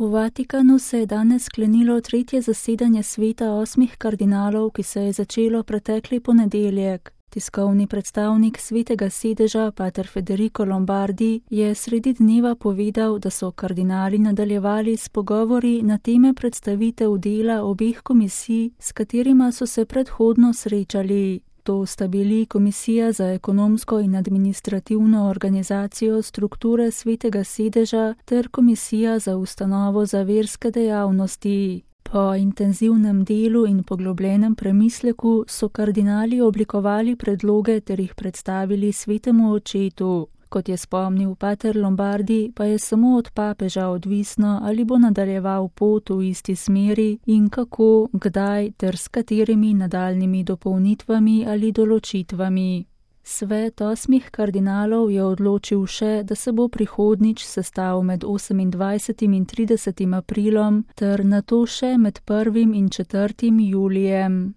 V Vatikanu se je danes sklenilo tretje zasedanje sveta 8 kardinalov, ki se je začelo pretekli ponedeljek. Tiskovni predstavnik Svetega sedeža, pater Federico Lombardi, je sredi dneva povedal, da so kardinali nadaljevali s pogovori na teme predstavitev dela obeh komisij, s katerima so se predhodno srečali. To sta bili Komisija za ekonomsko in administrativno organizacijo strukture Svetega sedeža ter Komisija za ustanovo za verske dejavnosti. Po intenzivnem delu in poglobljenem premisleku so kardinali oblikovali predloge ter jih predstavili Svetemu očetu. Kot je spomnil pater Lombardi, pa je samo od papeža odvisno, ali bo nadaljeval pot v isti smeri in kako, kdaj ter s katerimi nadaljnimi dopolnitvami ali določitvami. Svet 8 kardinalov je odločil še, da se bo prihodnjič sestal med 28. in 30. aprilom ter nato še med 1. in 4. julijem.